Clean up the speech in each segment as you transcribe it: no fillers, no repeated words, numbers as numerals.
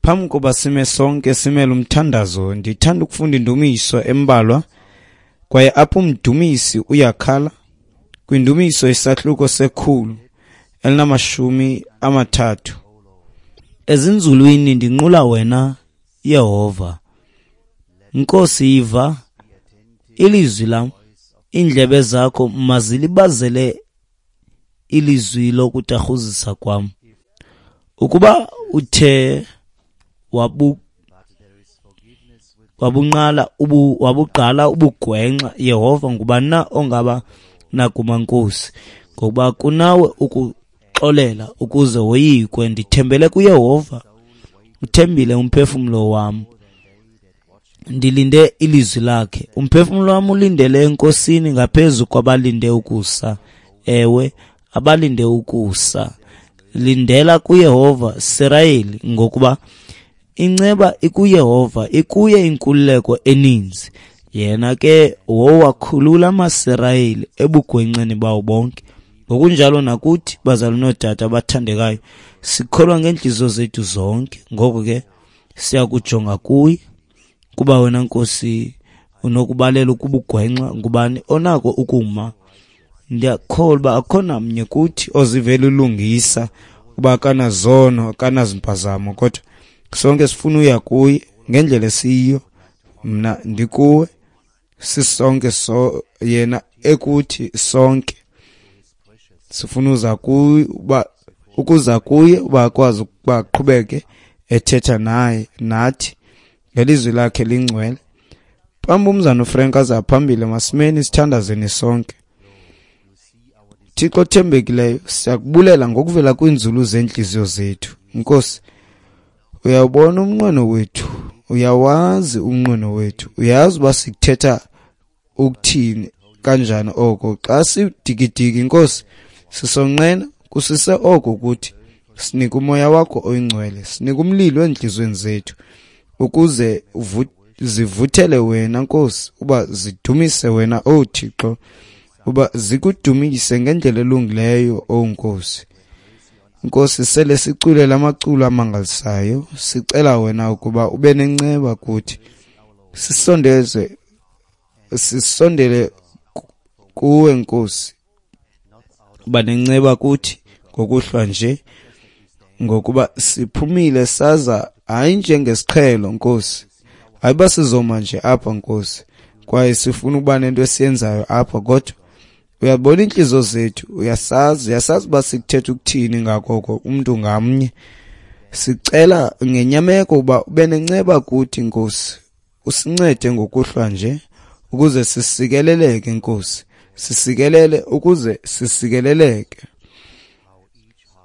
Phambi koba sime sonke simele umthandazo, ndithanda ukufunda indumiso embalwa, kwaye apho umdumisi uyakhala kwindumiso isahluko se-130. Ezinzulwini ndinqula wena, Yehova. Nkosi, yiva ilizwi lam, iindlebe zakho mazilibazele ilizwi lokutarhuzisa kwam. Ukuba uthe wabugqala ubugwenxa, Yehova, ngubani na ongaba nakuma, Nkosi? Ngokuba kunawe ukuxolela ukuze woyikwe. Ndithembele kuYehova, uthembile umphefumlo wam. Ndilinde ilizwi lakhe. Umphefumlo wam ulindele eNkosini ngaphezu kwabalinde ukusa. Ewe, abalinde ukusa. Lindela kuYehova, Sirayeli, ngokuba inceba ikuYehova, ikuye inkululeko eninzi. Yena ke wowakhulula amaSirayeli ebugwenxeni bawo bonke. Ngokunjalo nakuthi, bazali nootata abathandekayo, sikholwa ngeentliziyo zethu zonke. Ngoko ke siyakujonga kuye, kuba wena Nkosi unokubalela ukubugwenxa. Ngubani onako ukuma? Ndiyakholwa uba akho namnye kuthi ozivela ulungisa, uba akanazono, akanazimpazamo, kodwa sonke sifuna uya kuye ngendlela esiyiyo. Mna ndikuwe, sisonke, so yena ekuthi sonke sifuna uza kuye, uba ukuza kuye uba akwazi ukuba aqhubeke ethetha naye nathi ngelizwi lakhe lingcwele. Phambi umzana uFrank aza phambili, masimeni sithandazeni sonke. Thixo othembekileyo, siyakubulela ngokuvela kwiinzulu zeentliziyo zethu. Nkosi, uyawubona umnqweno wethu, uyawazi umnqweno wethu, uyazi uba sikuthetha ukuthini kanjani oko. Xa sidikidiki, Nkosi, sisonqena kusise oko kuthi. Sinike umoya wakho oyingcwele, sinike umlilo eentliziyweni zethu, ukuze zivuthele wena, Nkosi, uba zidumise wena, O Thixo, uba zikudumise ngendlela elungileyo, O Nkosi. Nkosi, sele sicule lamaculo amangalisayo, sicela wena ukuba ube nenceba kuthi, sisondele kuwe, Nkosi. Uba nenceba kuthi ngokuhlwa nje, ngokuba siphumile saza hayi njengesiqhelo, Nkosi, hayi uba sizoma nje apha, Nkosi, kwaye sifuna ukuba nento esiyenzayo apha, kodwa uyabona iintliziyo zethu, uyasazi uba sikuthetha ukuthini ngakoko umntu ngamnye. Sicela ngenyameko uba ube nenceba kuthi, Nkosi, usincede ngokuhlwa nje ukuze sisikeleleke, Nkosi, sisikelele ukuze sisikeleleke.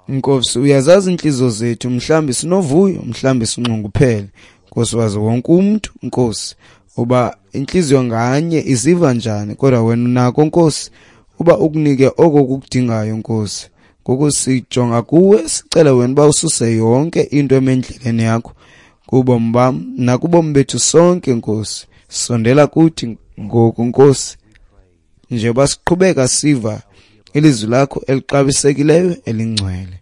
Nkosi, uyazazi iintliziyo zethu, mhlawumbi sinovuyo, mhlawumbi sinxunguphele. Nkosi, wazi wonke umntu, Nkosi, uba intliziyo nganye iziva njani, kodwa wena unako, Nkosi, uba ukunike oko kukudingayo, Nkosi. Ngoku sijonga kuwe, sicele wena uba ususe yonke into emendleleni yakho kubomi bam nakubomi bethu sonke, Nkosi. Sondela kuthi ngoku, Nkosi, njengoba siqhubeka siva ilizwi lakho elixabisekileyo elingcwele.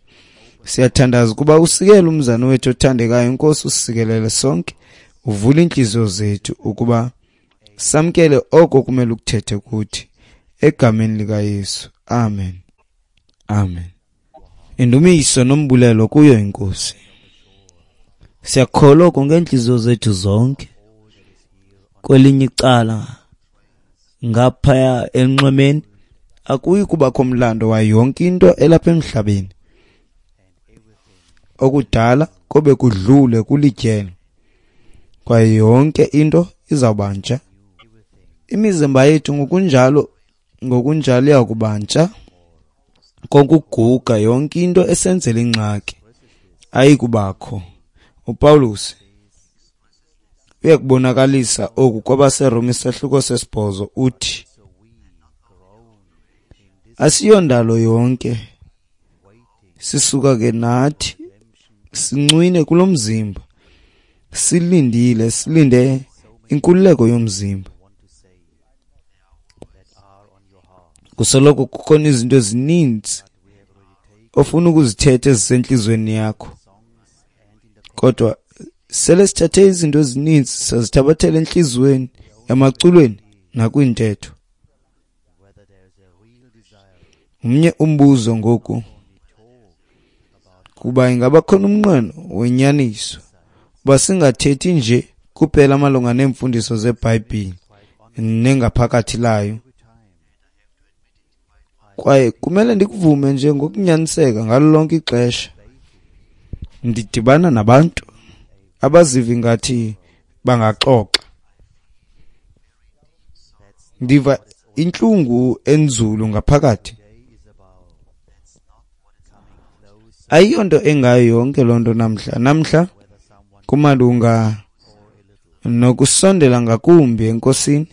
Siyathandaza ukuba usikele umzana wethu othandekayo, Nkosi, usikelele sonke, uvule iintliziyo zethu ukuba samkele oko kumele ukuthethe kuthi, egameni likaYesu. Amen. Amen. Indumiso nombulelo kuyo iNkosi. Siyakholwa oko ngeentliziyo zethu zonke. Kwelinye icala ngaphaya enxwemeni akuyi kubakho mlando wayo yonke into elapha emhlabeni. Okudala kobe kudlule kulityelo, kwaye yonke into izawubantsha. Imizimba yethu ngokunjalo iyakubantsha. Konke ukuguga, yonke into esenzela ingxaki ayikubakho. uPaulus uyakubonakalisa oku kwabaseRoma isahluko 8, uthi asiyondalo yonke, sisuka ke nathi sincwine kulo mzimba, silindile, silinde inkululeko yomzimba. Kusoloko kukhona izinto ezininzi ofuna ukuzithetha ezisentliziyweni yakho, kodwa Sele sithathe izinto ezininzi sazithabathela entliziyweni, emaculweni nakwiintetho. Umnye umbuzo ngoku, kuba ingaba khona umnqweno wenyaniso uba singathethi nje kuphela malunga neemfundiso zeBhayibhile nengaphakathi layo. Kwaye kumele ndikuvume nje ngokunyaniseka ngalo lonke ixesha ndidibana nabantu abaziva ngathi bangaxoxa. Ndiva intlungu enzulu ngaphakathi. Ayiyonto engayo yonke loo nto namhla. Namhla kumalunga nokusondela ngakumbi eNkosini,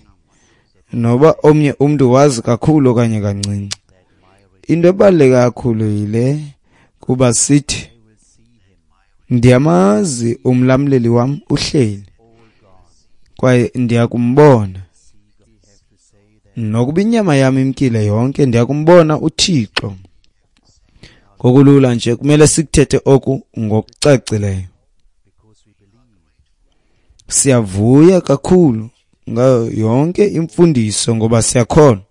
noba omnye umntu wazi kakhulu okanye kancinci. Into ebaluleke kakhulu yile kuba sithi, ndiyamazi umlamleli wam uhleli, kwaye ndiyakumbona. Nokuba inyama yam imkile yonke, ndiyakumbona uThixo. Ngokulula nje kumele sikuthethe oku ngokucacileyo. Siyavuya kakhulu ngayo yonke imfundiso ngoba siyakholwa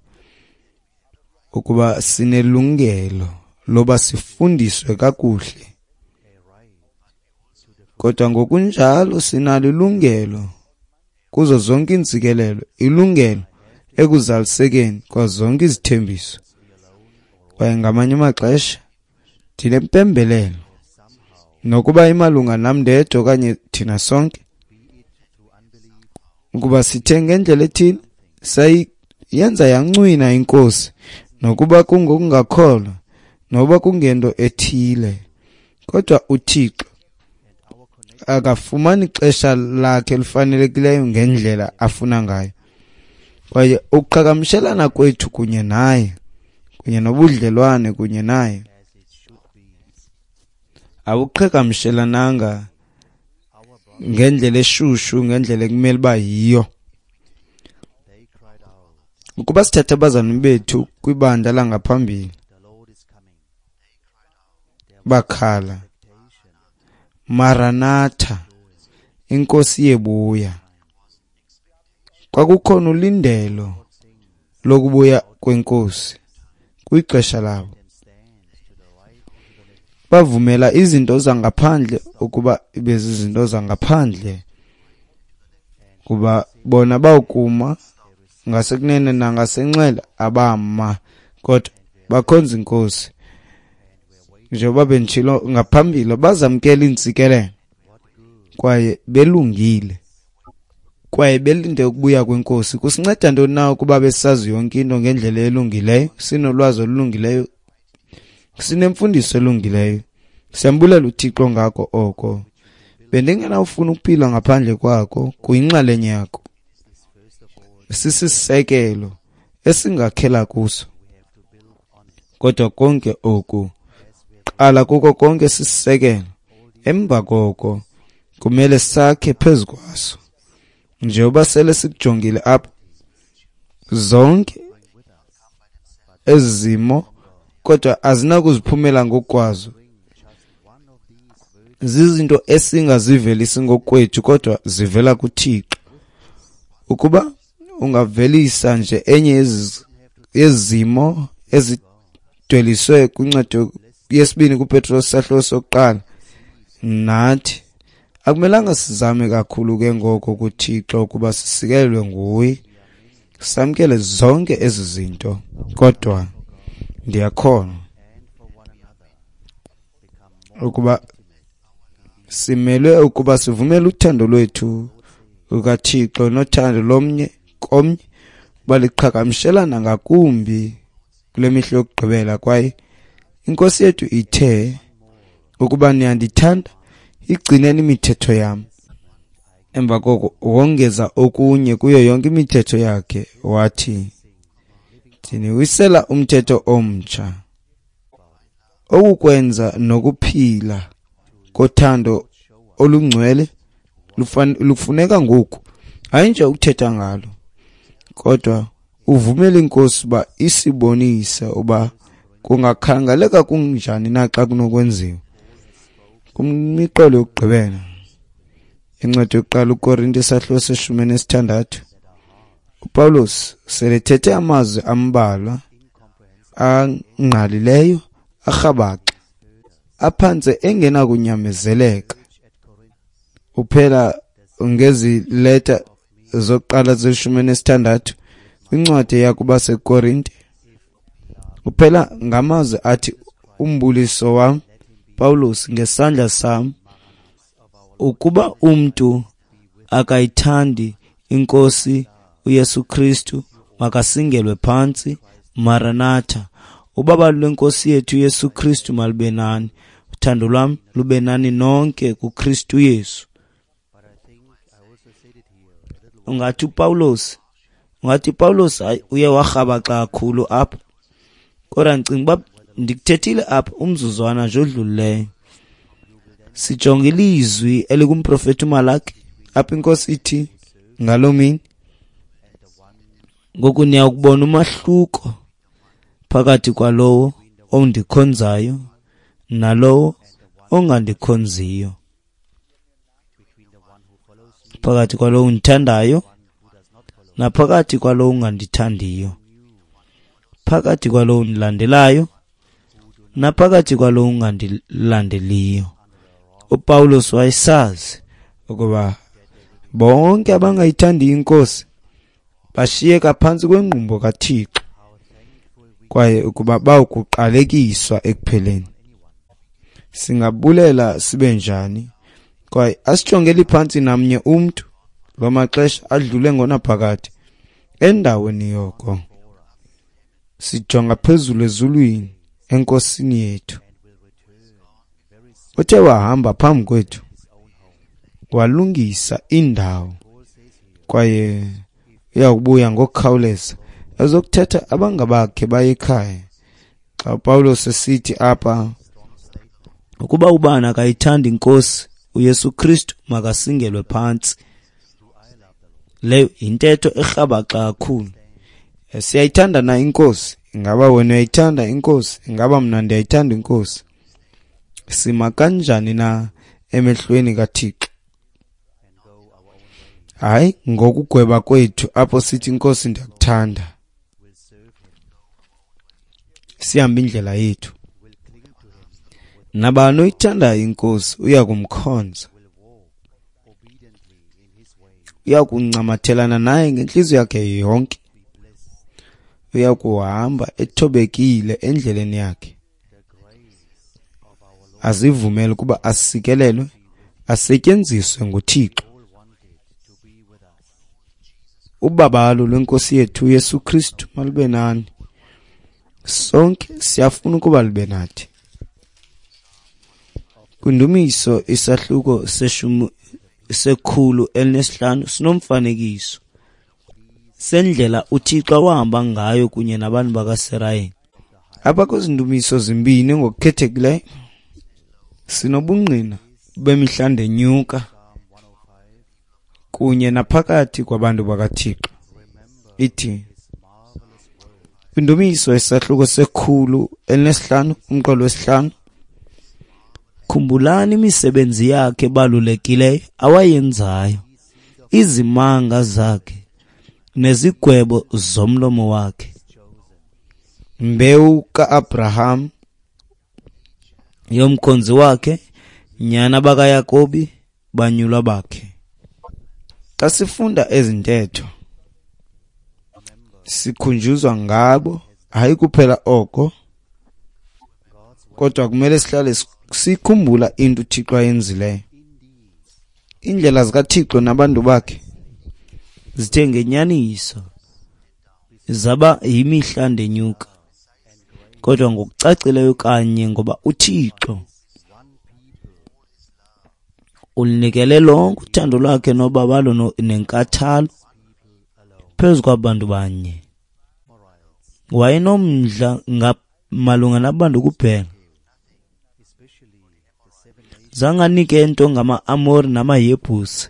ukuba sinelungelo loba sifundiswe kakuhle. Kodwa ngokunjalo sinalo ilungelo kuzo zonke iintsikelelo, ilungelo ekuzalisekeni kwazo zonke izithembiso. Kwaye ngamanye amaxesha ndinempembelelo, nokuba imalunga nam ndedwa okanye thina sonke, ukuba sithe ngendlela ethile sayenza yancwina iNkosi, nokuba kungokungakholwa, nokuba kungento ethile. Kodwa uThixo akafumani ixesha lakhe elifanelekileyo ngendlela afuna ngayo. Kwaye ukuqhagamshelana kwethu kunye naye, kunye nobudlelwane kunye naye, awuqhagamshelananga ngendlela eshushu, ngendlela ekumele uba yiyo. Ukuba sithatha abazalwane bethu kwibandla langaphambili, bakhala, Maranatha, iNkosi yebuya. Kwakukhona ulindelo lokubuya kweNkosi kwixesha labo. Bavumela izinto zangaphandle ukuba ibe zizinto zangaphandle, kuba bona bawukuma ngasekunene nangasenxele abama, kodwa bakhonza iNkosi. Njengoba benditshilo ngaphambili, bazamkela iintsikelelo kwaye belungile, kwaye belinde ukubuya kweNkosi. Kusinceda ntoni na ukuba besazi yonke into ngendlela elungileyo, sinolwazi olulungileyo, sinemfundiso elungileyo? Siyambulela uThixo ngako oko. Bendingenawufuna ukuphila ngaphandle kwako, kuyinxalenye yako. Sisisekelo esingakhela kuso. Kodwa konke oku, qala kuko konke sisisekelo. Emva koko kumele sakhe phezu kwaso. Njengoba sele sikujongile apha, zonke ezi zimo kodwa azinakuziphumela ngokwazo. Zizinto esingazivelisi ngokwethu, kodwa zivela kuThixo. Ukuba ungavelisa nje enye yezimo ezidweliswe kwincwadi yesibini kuPetros sahluko sokuqala, nathi akumelanga sizame kakhulu ke ngoko kuThixo ukuba sisikelelwe nguye, samkele zonke ezi zinto. Kodwa ndiyakholwa ukuba simelwe ukuba sivumele uthando lwethu lukaThixo nothando lomnye komnye uba liqhagamshelana ngakumbi kule mihla yokugqibela. Kwaye iNkosi yethu ithe, ukuba niyandithanda, igcineni imithetho yam. Emva koko wongeza okunye kuyo yonke imithetho yakhe, wathi, ndiniwisela umthetho omtsha, okukwenza nokuphila kothando olungcwele lufuneka ngoku, hayi nje ukuthetha ngalo, kodwa uvumele iNkosi uba isibonise uba kungakhangeleka kunjani na xa kunokwenziwa. Kwimiqolo yokugqibela Incwadi yokuqala uKorinte isahluko se-16, uPawulos selethethe amazwi ambalwa angqalileyo arhabaxa aphantse engenakunyamezeleka. Uphela ngezi leta zokuqala ze-16 kwincwadi eya kubaseKorinte. Uphela ngamazwi athi, umbuliso wam Pawulos ngesandla sam, ukuba umntu akayithandi iNkosi uYesu Kristu makasingelwe phantsi. Maranatha. Ubabalo lweNkosi yethu uYesu Kristu malube nani. Uthando lwam lube nani nonke kuKristu Yesu. Ungathi uPawulos hayi uye warhabaxa kakhulu apha. Kodwa ndicinga uba ndikuthethile apha umzuzwana nje odlulileyo. Sijonge ilizwi elikumprofeti uMalaki apha iNkosi ithi ngaloo mini, ngoku niyakubona umahluko phakathi kwalowo ondikhonzayo nalowo ongandikhonziyo, phakathi kwalowo undithandayo naphakathi kwalowo ungandithandiyo, phakathi kwalowo undilandelayo naphakathi kwalowo ungandilandeliyo. uPawulos wayesazi ukuba bonke abangayithandiyo iNkosi bashiyeka phantsi kwengqumbo kaThixo, kwaye ukuba bawukuqalekiswa ekupheleni. Singabulela sibe njani, kwaye asijongeli phantsi namnye umntu loo maxesha adlule ngonaphakade. Endaweni yoko sijonga phezulu ezulwini eNkosini yethu, uthe wahamba phambi kwethu walungisa indawo, kwaye uyakubuya ngokukhawuleza ezokuthatha abangabakhe baye ekhaya. Xa uPawulos esithi apha, ukuba ubani akayithandi iNkosi uYesu Kristu makasingelwe phantsi, leyo yintetho erhabaxa kakhulu. Siyayithanda na iNkosi? Ingaba wena uyayithanda iNkosi? Ingaba mna ndiyayithanda iNkosi? Sima kanjani na emehlweni kaThixo? Hayi ngokugweba kwethu apho sithi iNkosi ndiyakuthanda, sihambe indlela yethu. Nabani oyithandayo iNkosi uya kumkhonza, uya kuncamathelana naye ngentliziyo yakhe yonke, uya kuhamba ethobekile endleleni yakhe, azivumele ukuba asikelelwe, asetyenziswe nguThixo. Ubabalo lweNkosi yethu uYesu Kristu malube nani. Sonke siyafuna ukuba lube nathi. Kwindumiso isahluko 105 sinomfanekiso sendlela uThixo awahamba ngayo kunye nabantu bakaSirayeli. Apha kwezi ndumiso zimbini ngokukhethekileyo sinobungqina bemihla ndenyuka kunye naphakathi kwabantu bakaThixo. Ithi kwindumiso isahluko 105 umqolo wesihlanu, khumbulani imisebenzi yakhe ebalulekileyo awayenzayo, izimanga zakhe nezigwebo zomlomo wakhe. Mbewu kaAbraham yomkhonzi wakhe, nyana bakaYakobi, banyulwa bakhe. Xa sifunda ezi ntetho sikhunjuzwa ngabo, hayi kuphela oko, kodwa kumele sihlale sikhumbula into uThixo ayenzileyo. Iindlela zikaThixo nabantu bakhe zithe ngenyaniso zaba yimihla ndenyuka, kodwa ngokucacileyo kanye ngoba uThixo ulinikele lonke uthando lwakhe nobabalo nenkathalo phezu kwabantu banye. Wayenomdla malunga nabantu kuphela. Zange anike nto ngama-Amori namaYebhusi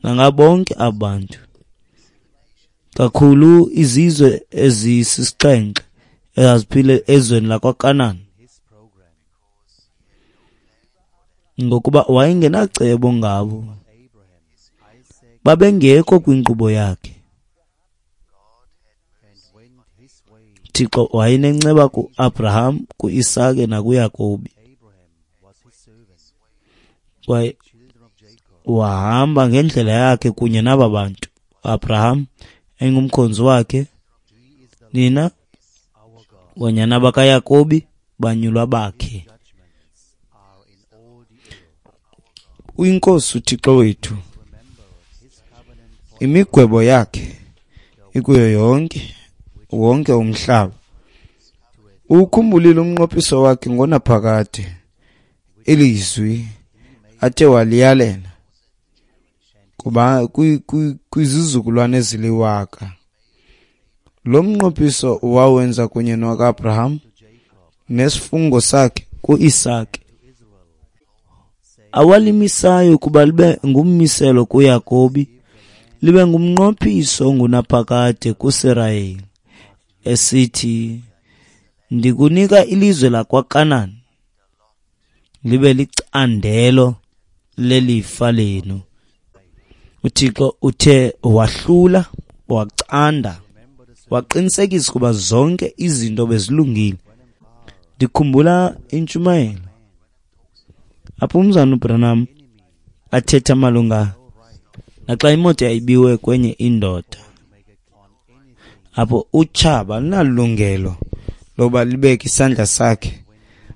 nangabonke abantu, kakhulu izizwe ezisixhenxe ezaziphile ezweni lakwaKanani, ngokuba wayengenacebo ngabo. Babengekho kwinkqubo yakhe. Thixo wayenenceba kuAbraham, kuIsake nakuYakobi. Kwaye wahamba ngendlela yakhe kunye naba bantu. Abraham engumkhonzi wakhe, nina wanyana bakaYakobi banyulwa bakhe. UyiNkosi uThixo wethu, imigwebo yakhe ikuyo yonke wonke umhlaba. Uwukhumbulile umnqophiso wakhe ngonaphakade, ilizwi athe waliyalela kuba kwizizukulwane eziliwaka. Lo mnqophiso wawenza kunye noAbraham nesifungo sakhe kuIsake, awalimisayo ukuba libe ngummiselo kuYakobi, libe ngumnqophiso ongunaphakade kuSirayeli, esithi, ndikunika ilizwe lakwaKanan libe licandelo lelifa lenu. UThixo uthe wahlula, wacanda, waqinisekisa ukuba zonke izinto bezilungile. Ndikhumbula intshumayelo apho umzana uBranham athetha malunga naxa imoto yayibiwe kwenye indoda, apho utshaba alinalungelo lokuba libeke isandla sakhe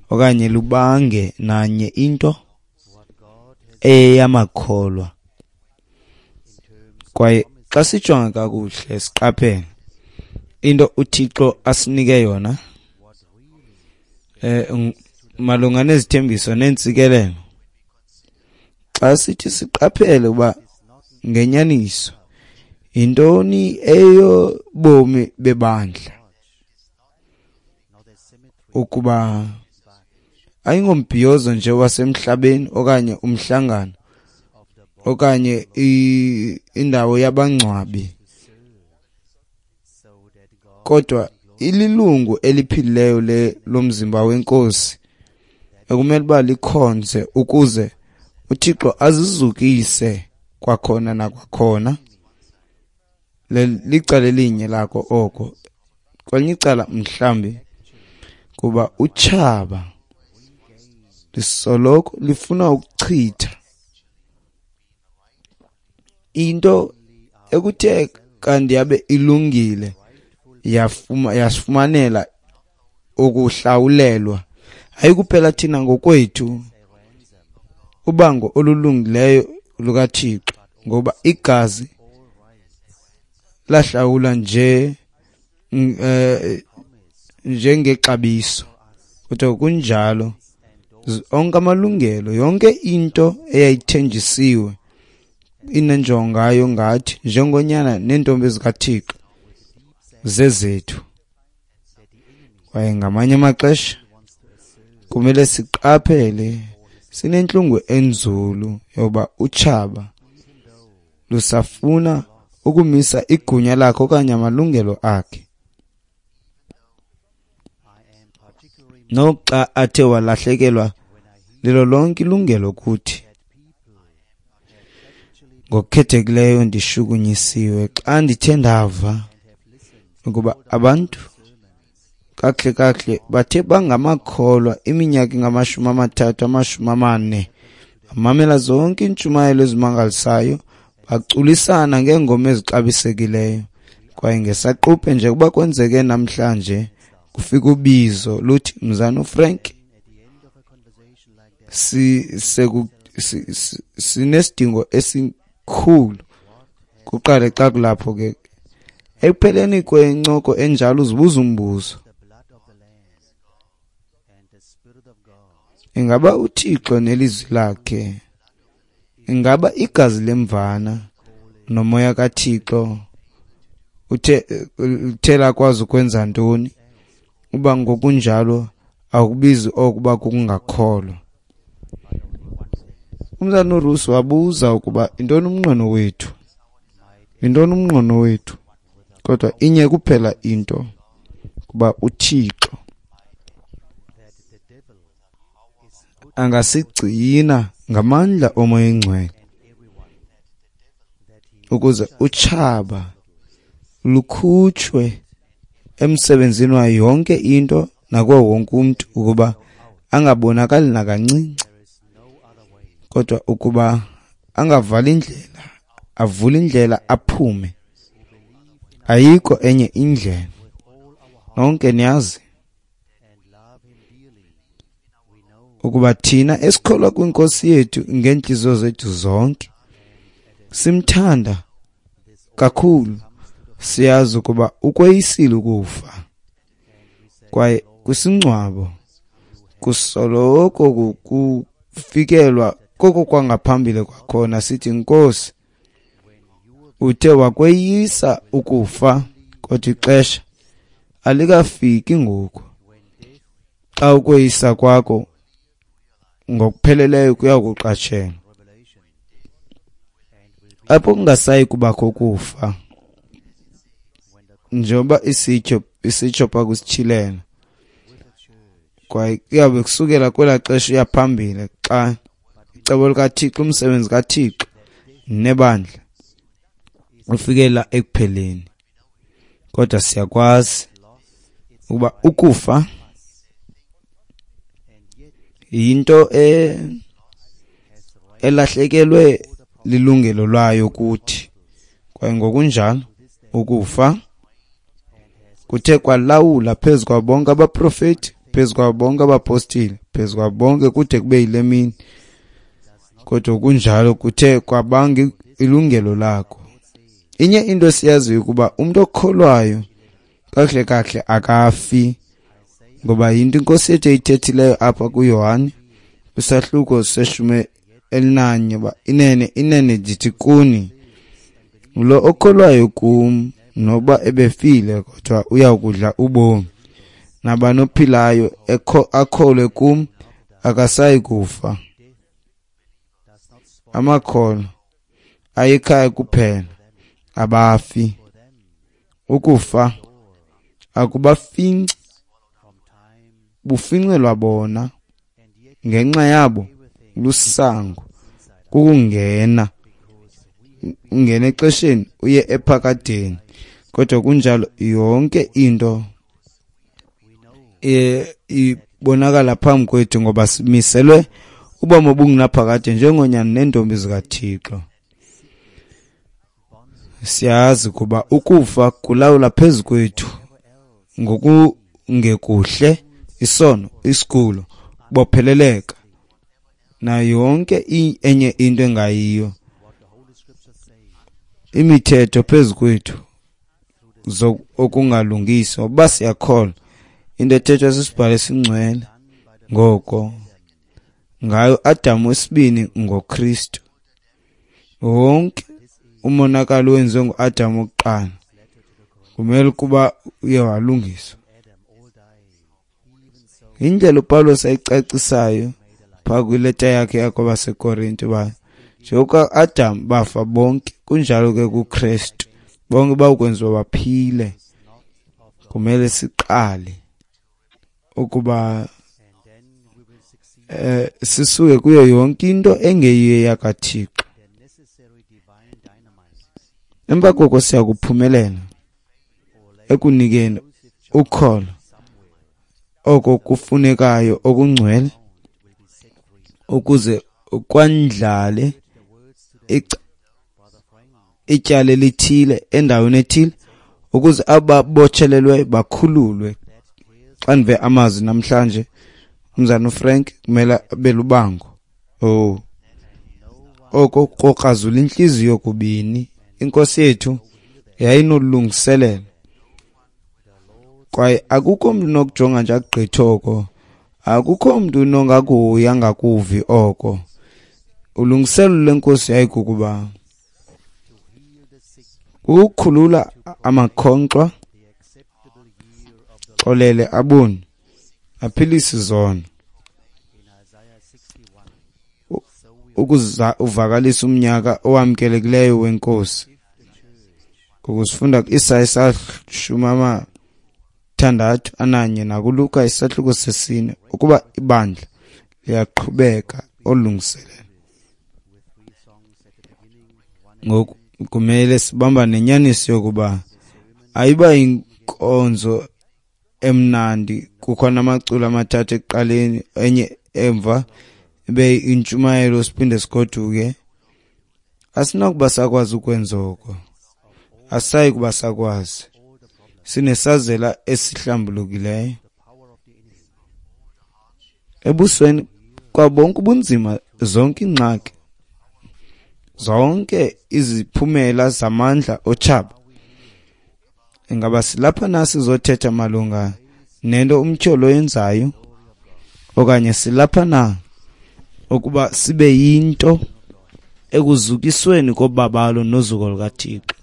okanye lubange nanye into eyamakholwa. Kwaye xa sijonga kakuhle siqaphele into uThixo asinike yona malunga nezithembiso neentsikelelo, xa sithi siqaphele uba ngenyaniso yintoni eyobomi bebandla, ukuba ayingombhiyozo nje wasemhlabeni okanye umhlangano okanye indawo yabangcwabi, kodwa ililungu eliphilileyo lomzimba weNkosi ekumele uba likhonze ukuze uThixo azizukise kwakhona nakwakhona. Licala elinye lako oko. Kwelinye icala mhlambi kuba utshaba lisoloko lifuna ukuchitha into ekuthe kanti yabe ilungile, yasifumanela ukuhlawulelwa. Hayi kuphela thina ngokwethu ubango olulungileyo lukaThixo, ngoba igazi lahlawula nje njengexabiso, kodwa kunjalo onke amalungelo, yonke into eyayithenjisiwe inenjongo ngathi njengonyana neentombi zikaThixo zezethu. Kwaye ngamanye amaxesha kumele siqaphele, sinentlungu enzulu yoba utshaba lusafuna ukumisa igunya lakhe okanye amalungelo akhe, noxa athe walahlekelwa lilo lonke ilungelo kuthi. Ngokukhethekileyo ndishukunyisiwe xa ndithe ndava ukuba abantu kakuhle kakuhle bathe bangamakholwa iminyaka engama-30, 40, bamamela zonke iintshumayelo ezimangalisayo, baculisana ngeengoma ezixabisekileyo. Kwaye ngesaquphe nje kuba kwenzeke namhlanje, kufika ubizo luthi, Mzana uFrank, sinesidingo esikhulu. Kuqale xa kulapho ke ekupheleni kwencoko enjalo uzibuza umbuzo, ingaba uThixo nelizwi lakhe, ingaba igazi lemvana nomoya kaThixo uthe lakwazi ukwenza ntoni? Uba ngokunjalo akubizi okuba kukungakholwa. Umzana uRusi wabuza ukuba intoni umnqweno wethu, intoni umnqweno wethu, kodwa inye kuphela into, kuba uThixo angasigcina ngamandla omoya oyingcwele, Ukuze utshaba lukhutshwe emsebenzini wayo yonke into nakuwo wonke umntu, ukuba angabonakali nakancinci, kodwa ukuba angavali indlela, avule indlela aphume. Ayikho enye indlela. Nonke niyazi ukuba thina esikholwa kwinkosi yethu ngeentliziyo zethu zonke simthanda kakhulu, siyazi ukuba ukweyisile ukufa. Kwaye kwisingcwabo kusoloko kufikelwa koko kwangaphambili kwakhona, sithi Nkosi, uthe wakweyisa ukufa, kodwa ixesha alikafiki ngoku xa ukweyisa kwakho ngokupheleleyo kuya kuqatshelwa, apho kungasayi kubakho kufa, njengoba isitsho pha kusitshilelo. Kwaye kuyabe kusukela kwelaa xesha uya phambili, xa icebo likaThixo, umsebenzi kaThixo nebandla ufikela ekupheleni. Kodwa siyakwazi ukuba ukufa yinto elahlekelwe lilungelo lwayo kuthi, kwaye ngokunjalo ukufa kuthe kwalawula phezu kwabo bonke abaprofeti, phezu kwabo bonke abapostile, phezu kwabo bonke kude kube yile mini. Kodwa kunjalo kuthe kwabanga ilungelo lakho. Inye into esiyaziyo ukuba umuntu okholwayo kakuhle kakuhle akafi, ngoba yinto inkosi yethu eyithethileyo apha kuYohane kwisahluko se-11, uba inene inene ndithi kuni, lo okholwayo kum noba ebefile kodwa uyakudla ubomi, nabani ophilayo akholwe kum akasayi kufa. Amakholwa ayekhaya kuphela abafi. Ukufa akubafinci, bufincelwa bona ngenxa yabo lusango kukungena, ungena exesheni uye ephakadeni. Kodwa kunjalo yonke into ibonakala phambi kwethu, ngoba simiselwe ubomi obungunaphakade njengonyana neentombi zikaThixo. Siyazi kuba ukufa kulawula phezu kwethu ngokungekuhle, isono, isigulo, bopheleleka nayo yonke enye into engayiyo, imithetho phezu kwethu okungalungiswa. Uba siyakholwa into ethethwa sisibhalo esingcwele, ngoko ngayo Adamu wesibini ngoKristu, wonke umonakalo wenziwe nguAdamu wokuqala kumele ukuba uye walungiswa. Indlela uPawulos ayicacisayo phaa kwileta yakhe yakwabaseKorinte, uba njengoba Adam bafa bonke, kunjalo ke kuKristu bonke bawukwenziwa baphile. Kumele siqale ukuba sisuke kuyo yonke into engeyiyo yakaThixo. Emva koko siyakuphumelela ekunikeni ukholo oko kufunekayo okungcwele, ukuze kwandlale ityala elithile endaweni ethile, ukuze ababotshelelwe bakhululwe. Xa ndive amazwi namhlanje, umzana uFrank kumele abe lubango. Oko kokrazula intliziyo kubini. Inkosi yethu yayinolungiselelo, kwaye akukho mntu unokujonga nje akugqithe oko, akukho mntu unongakuhoyi angakuvi oko. Ulungiselelo lenkosi yayikukuba ukukhulula amakhonkxwa, xolele aboni, aphilise izono, ukuza uvakalisa umnyaka owamkelekileyo wenkosi. Ngokusifunda ku-Isaya 61 nakuLuka isahluko 4, ukuba ibandla liyaqhubeka olungiselelo. Ngoku kumele sibambane nenyaniso yokuba ayiba inkonzo emnandi, kukho namaculo amathathu ekuqaleni, enye emva ibe intshumayelo, siphinde sigoduke. Asinakuba sakwazi ukwenza oko, asayi kuba sakwazi. Sinesazela esihlambulukileyo ebusweni kwabonke ubunzima, zonke iingxaki, zonke iziphumela zamandla otshaba. Ingaba silapha na sizothetha malunga nento umtyholi oyenzayo, okanye silapha na ukuba sibe yinto ekuzukisweni kobabalo nozuko lukaThixo?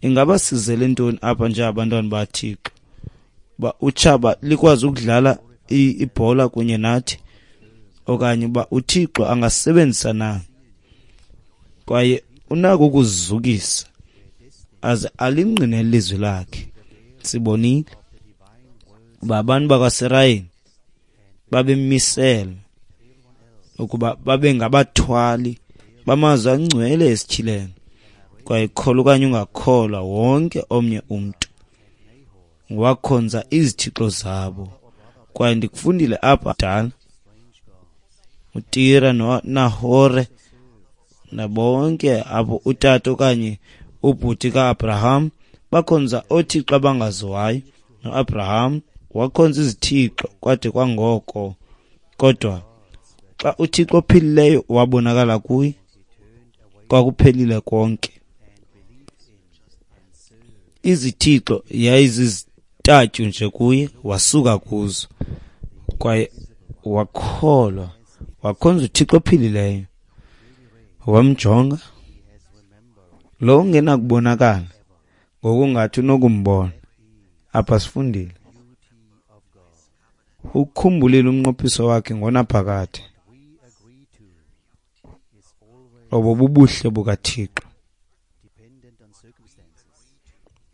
Ingaba sizele ntoni apha njengabantwana baThixo? Uba utshaba likwazi ukudlala ibhola kunye nathi, okanye uba uThixo angasebenzisa na, kwaye unako ukuzukisa aze alingqine ilizwi lakhe. Sibonile uba abantu bakwaSirayeli babemiselwe ukuba babe ngabathwali bamazwi angcwele esityhilelo, kwaye kholwa okanye ungakholwa, wonke omnye umntu wakhonza izithixo zabo. Kwaye ndikufundile apha dala, uTira noNahore nabonke apho utata okanye ubhuti kaAbraham bakhonza oothixo abangaziwayo, noAbraham wakhonza izithixo kwade kwangoko. Kodwa xa uThixo ophilileyo wabonakala kuye, kwakuphelile konke. Izithixo yayizizitatyu nje kuye, wasuka kuzo kwaye wakholwa, wakhonza uThixo ophilileyo. Wamjonga lo ungenakubonakala ngokungathi unokumbona. Apha sifundile, ukukhumbulile umnqophiso wakhe ngonaphakade. Obo bubuhle bukaThixo.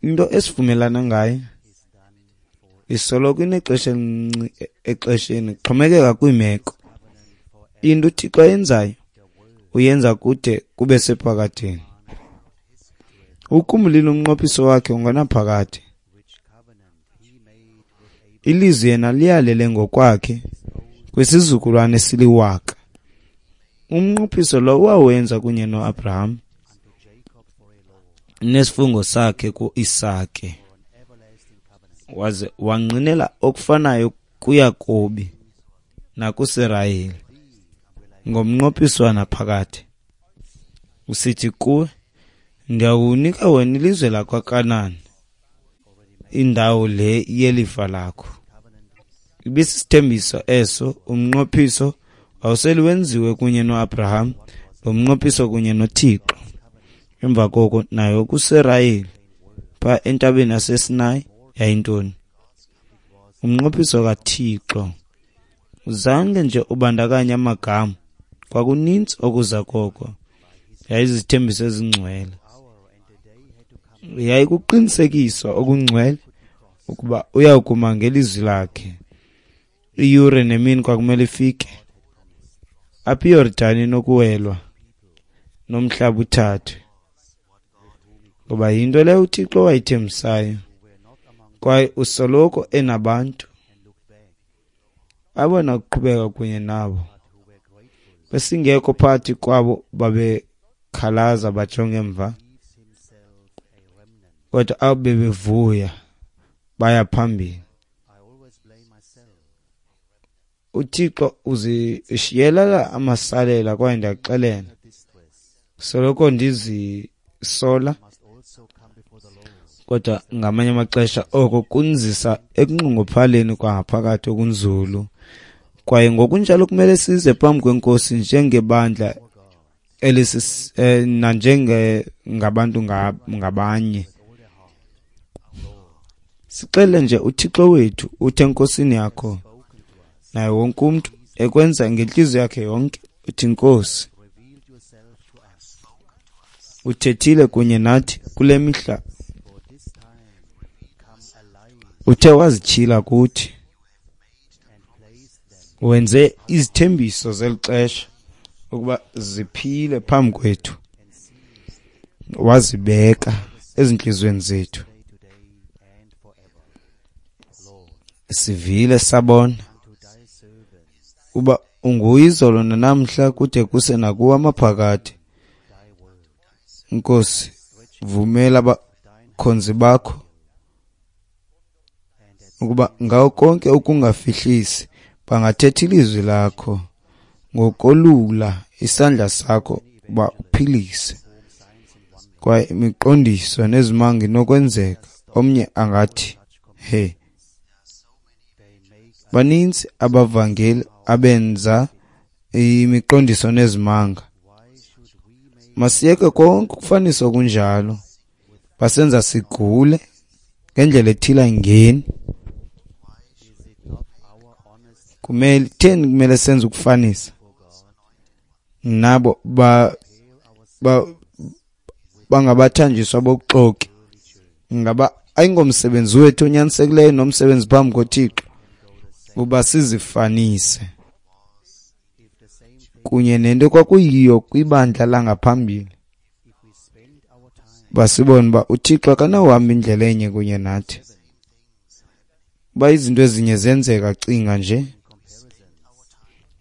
Into esivumelana ngayo isoloko inexesha elincinci exesheni, kuxhomekeka kwiimeko. Into uThixo ayenzayo uyenza kude kube sephakadeni. Ukukhumbulile umnqophiso wakhe ngonaphakade. Ilizwi yena liyalele ngokwakhe kwisizukulwane esiliwaka. Umnqophiso lo wawenza kunye noAbraham nesifungo sakhe kuIsake, waze wangqinela okufanayo kuYakobi nakuSirayeli ngomnqophiso wanaphakade, usithi kuwe, ndiyakunika wena ilizwe lakwaKanani, indawo le yelifa lakho. Ibisisithembiso eso, umnqophiso wawusele wenziwe kunye noAbraham, lo mnqophiso kunye noThixo. Emva koko nayo kuSirayeli pha entabeni yaseSinayi yayintoni? Umnqophiso kaThixo. Zange nje ubandakanye amagama, kwakuninzi okuza koko. Yayizithembiso ezingcwele, yayikuqinisekiswa okungcwele ukuba uyakuma ngelizwi lakhe. Iyure nemini kwakumele ifike apho iYordani inokuwelwa nomhlaba uthathwe, ngoba yinto leyo uThixo wayithembisayo. Kwaye usoloko enabantu abona kuqhubeka kunye nabo. Besingekho phakathi kwabo babekhalaza bajonge emva, kodwa abo bebevuya baya phambili. uThixo uzishiyelela amasalela, kwaye ndiyakuxelela, soloko ndizisola, kodwa ngamanye amaxesha oko kunzisa ekunxunguphaleni kwangaphakathi okunzulu. Kwaye ngokunjalo kumele size phambi kweNkosi njengebandla nanjenge ngabantu ngabanye. Sixele nje uThixo wethu, uthi eNkosini yakho, naye wonke umntu ekwenza ngentliziyo yakhe yonke, uthi Nkosi, uthethile kunye nathi kule mihla, uthe wazityhila kuthi, wenze izithembiso zeli xesha ukuba ziphile phambi kwethu, wazibeka ezintliziyweni zethu. Sivile sabona uba unguye izolo nanamhla kude kuse nakuwo amaphakade. Nkosi, vumela abakhonzi bakho ukuba ngawo konke ukungafihlisi bangathetha ilizwi lakho ngokolula isandla sakho uba uphilise. Kwaye imiqondiso nezimanga inokwenzeka. Omnye angathi, he, baninzi abavangeli abenza imiqondiso nezimanga. Masiyeke konke ukufanisa okunjalo. Basenza sigule ngendlela ethile ayingeni. Kumele theni kumele senze ukufanisa nabo bangabathanjiswa bobuxoki. Ngaba ayingomsebenzi wethu onyanisekileyo nomsebenzi phambi koThixo uba sizifanise kunye nento kwakuyiyo kwibandla langaphambili, basibone uba uThixo akanawuhamba indlela enye kunye nathi. Uba izinto ezinye zenzeka, cinga nje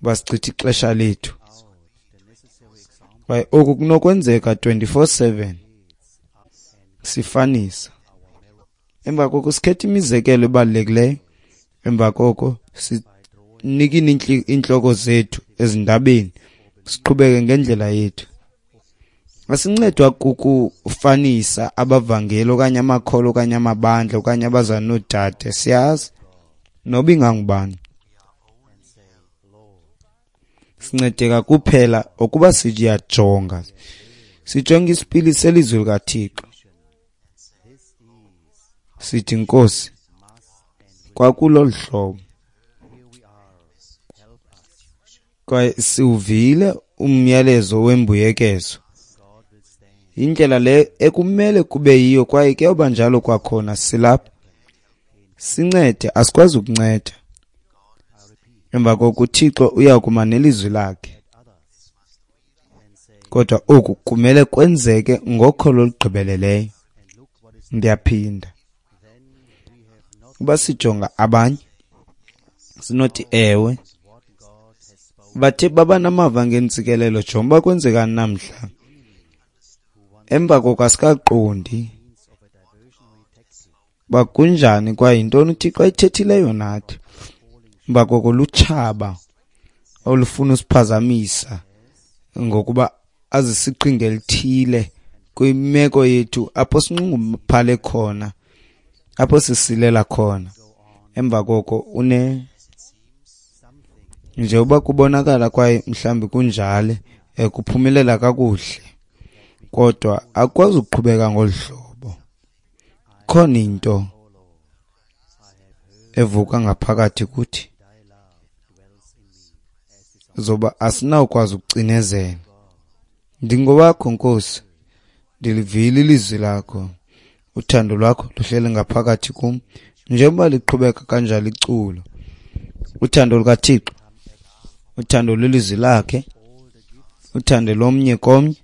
uba sichitha ixesha lethu. Kwaye oku kunokwenzeka 24/7 sifanisa. Emva koko sikhetha imizekelo ebalulekileyo. Emva koko sinikine iintloko zethu ezindabeni, siqhubeke ngendlela yethu. Asincedwa kukufanisa abavangeli okanye amakholwa okanye amabandla okanye abazalwane noodade, siyazi noba ingangubani. Sincedeka kuphela ukuba siyajonga, sijonge isipili selizwi likaThixo. Sithi, Nkosi, kwakulolu hlobo. Kwaye siwuvile umyalezo wembuyekezo. Indlela le ekumele kube yiyo, kwaye kuyoba njalo kwakhona. Silapha, sincede, asikwazi ukunceda. Emva koko uThixo uyakuma nelizwi lakhe. Kodwa oku kumele kwenzeke ngokholo olugqibeleleyo. Ndiyaphinda, uba sijonga abanye sinothi ewe, bathe baba namava ngentsikelelo, jonga uba kwenzekani namhla. Emva koko asikaqondi uba kunjani kwaye yintoni uThixo ayithethileyo nathi. Emva koko lutshaba olufuna usiphazamisa ngokuba azisiqhinga elithile kwimeko yethu apho sinxunguphale khona, apho sisilela khona. Emva koko une nje uba kubonakala kwaye mhlawumbi kunjalo, kuphumelela kakuhle, kodwa akukwazi ukuqhubeka ngolu hlobo. Khona into evuka ngaphakathi kuthi zoba asinawukwazi ukucinezela. Ndingowakho Nkosi, ndilivile ilizwi lakho, uthando lwakho luhleli ngaphakathi kum. Njengoba liqhubeka kanjalo iculo, uthando lukaThixo, uthando lwelizwi lakhe, uthando lomnye komnye,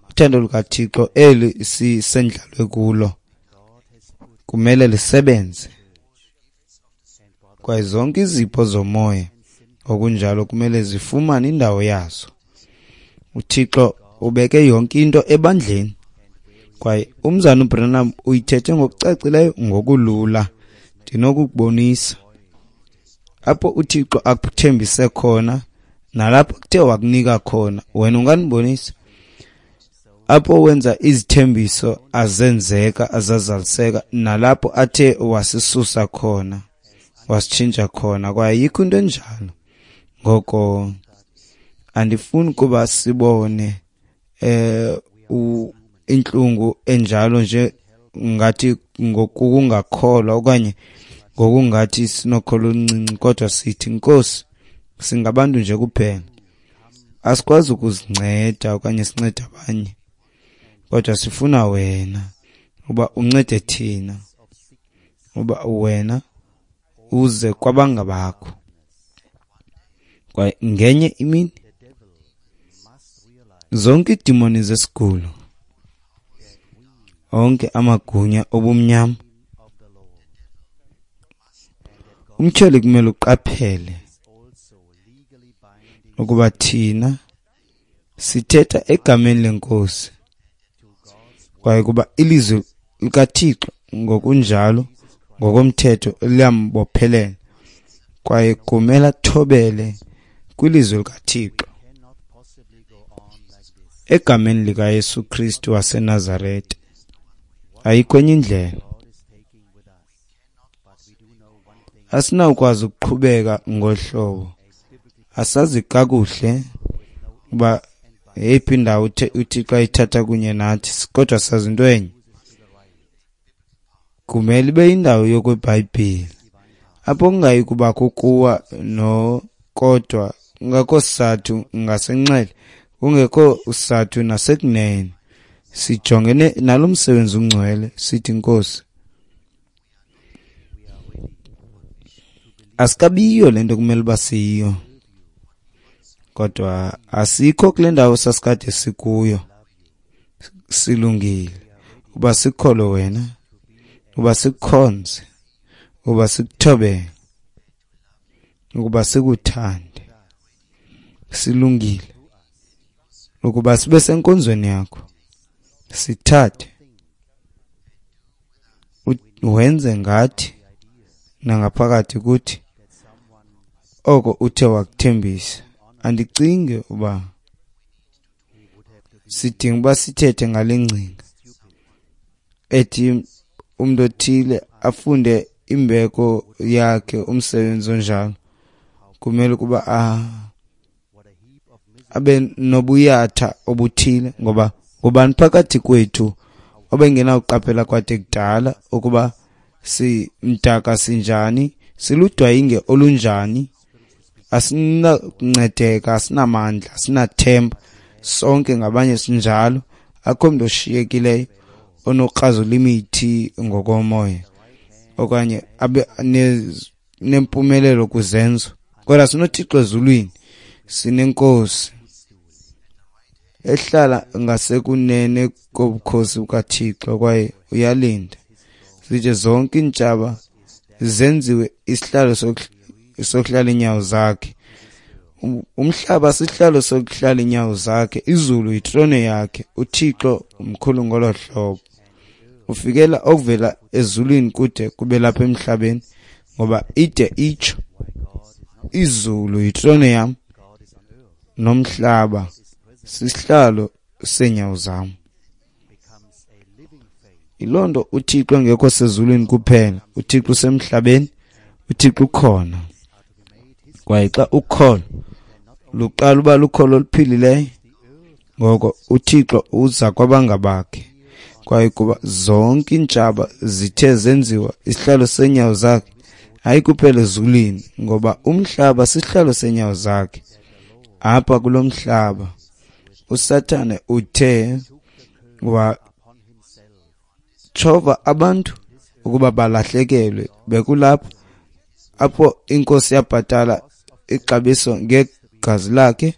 uthando lukaThixo eli sisendlalwe kulo kumele lisebenze. Kwaye zonke izipho zomoya okunjalo kumele zifumane indawo yazo. uThixo ubeke yonke into ebandleni. Kwaye umzana uBranham uyithethe ngokucacileyo ngokulula. Ndinokukubonisa apho uThixo akuthembise khona nalapho kuthe wakunika khona. Wena ungandibonisa apho wenza izithembiso azenzeka azazaliseka, nalapho athe wasisusa khona wasitshintsha khona. Kwaye ayikho into enjalo. Ngoko andifuni kuba sibone intlungu enjalo nje ngathi ngokungakholwa okanye ngokungathi sinokholo oluncinci, kodwa sithi, Nkosi, singabantu nje kuphela, asikwazi ukuzinceda okanye sincede abanye, kodwa sifuna wena uba uncede thina, uba wena uze kwabangabakho. Kwaye ngenye imini Zonke iidimoni zesigulo, onke amagunya obumnyama, umtyholi kumele uqaphele ukuba thina sithetha egameni leNkosi, kwaye kuba ilizwi likaThixo ngokunjalo ngokomthetho liyambophelela, kwaye kumele athobele kwilizwi likaThixo. Egameni likaYesu Kristu waseNazarete, ayikho enye indlela. Asinawukwazi ukuqhubeka ngohlobo. Asazi kakuhle uba yeyiphi indawo uThixo ayithatha kunye nathi, kodwa sazi into enye. Kumele ibe yindawo yokweBhayibhile, apho kungayi kubakho kuwa no kodwa kungekho sizathu ngasenxele, kungekho sizathu nasekunene. Sijongene nalo msebenzi ungcwele, sithi Nkosi, asikabiyo le nto kumele uba siyiyo, kodwa asikho kule ndawo sasikade sikuyo. Silungile uba sikholwe wena, uba sikukhonze, uba sikuthobele, ukuba sikuthande. Silungile ukuba sibe senkonzweni yakho, sithathe wenze ngathi nangaphakathi kuthi oko uthe wakuthembisa. Andicingi uba sidinga uba sithethe ngale ngcinga ethi umntu othile afunde imbeko yakhe, umsebenzi onjalo kumele ukuba abe nobuyatha obuthile, ngoba ngubani phakathi kwethu obengenawuqaphela kwade kudala ukuba simdaka sinjani, siludwayinge olunjani, asinakuncedeka, asinamandla, asinathemba, sonke ngabanye sinjalo. Akho mntu oshiyekileyo onokrazula imithi ngokomoya okanye abe nempumelelo kwizenzo, kodwa sinoThixo ezulwini, sinenkosi ehlala ngasekunene kobukhosi bukaThixo, kwaye uyalinda zide zonke iintshaba zenziwe isihlalo sokuhlala iinyawo zakhe. Umhlaba sihlalo sokuhlala iinyawo zakhe, izulu yitrone yakhe. uThixo mkhulu ngolo hlobo, ufikela okuvela ezulwini kude kube lapha emhlabeni, ngoba ide itsho izulu yitrone yam nomhlaba sisihlalo seenyawo zam. Yiloo nto uThixo engekho sezulwini kuphela, uThixo usemhlabeni, uThixo ukhona. Kwaye xa ukholo luqala uba lukholo oluphilileyo, ngoko uThixo uza kwabangabakhe. Kwaye kuba zonke iintshaba zithe zenziwa isihlalo seenyawo zakhe, hayi kuphela ezulwini, ngoba umhlaba sisihlalo seenyawo zakhe. Apha kulo mhlaba uSathane uthe watshova abantu ukuba balahlekelwe. Bekulapho apho inkosi yabhatala ixabiso ngegazi lakhe,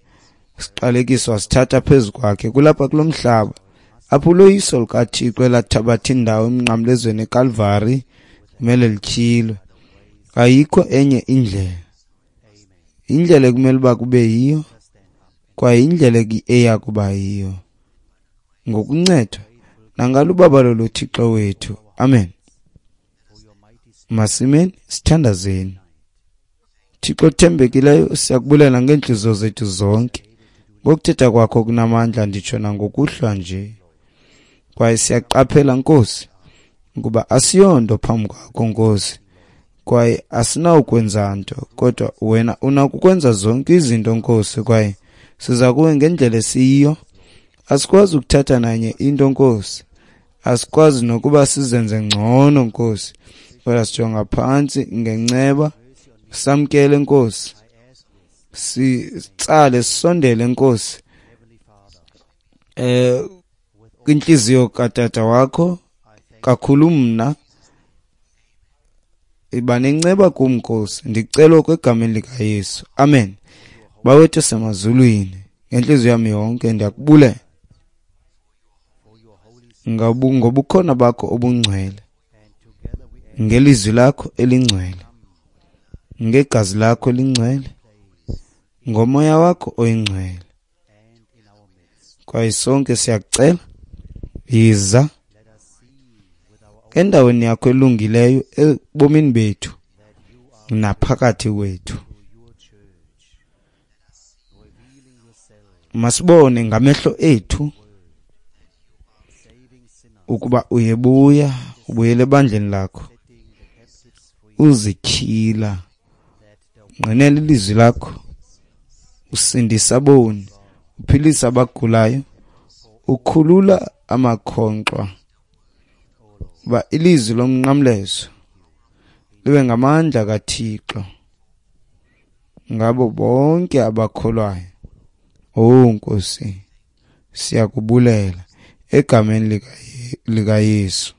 siqalekiso wasithatha phezu kwakhe. Kulapha kulo mhlaba apho uloyiso lukaThixo elathabatha indawo emnqamlezweni eKalvari kumele lityhilwe. Ayikho enye indlela. Indlela ekumele uba kube yiyo, kwaye indlela eya kuba yiyo, ngokuncedwa nangalubabalo loThixo wethu. Amen. Masimeni sithandazeni. Thixo othembekileyo, siyakubulela ngeentliziyo zethu zonke ngokuthetha kwakho kunamandla, nditsho nangokuhlwa nje. Kwaye siyaqaphela Nkosi ukuba asiyonto phambi kwakho Nkosi, kwaye asinawukwenza nto, kodwa wena unakukwenza zonke izinto Nkosi, kwaye siza kuwe ngendlela esiyiyo. Asikwazi ukuthatha nanye into Nkosi, asikwazi nokuba sizenze ngcono Nkosi, kodwa sijonga phantsi ngenceba, samkele Nkosi, sitsale sisondele Nkosi kwintliziyo katata wakho kakhulu. Mna iba nenceba kum Nkosi, ndicela okwegameni likaYesu. Amen. Bawethu semazulwini, Ngentliziyo yam yonke ndiyakubulela ngobukhona bakho obungcwele, ngelizwi lakho elingcwele, ngegazi lakho elingcwele, ngomoya wakho oyingcwele. Kwaye sonke siyakucela, yiza endaweni yakho elungileyo ebomini bethu naphakathi kwethu. Masibone ngamehlo ethu ukuba uyebuya, ubuyele ebandleni lakho, uzityhila, ngqinela ilizwi lakho, usindisa aboni, uphilisa abagulayo, ukhulula amakhonkxwa, uba ilizwi lomnqamlezo libe ngamandla kaThixo ngabo bonke abakholwayo. Oh Nkosi, siyakubulela egameni likaYesu.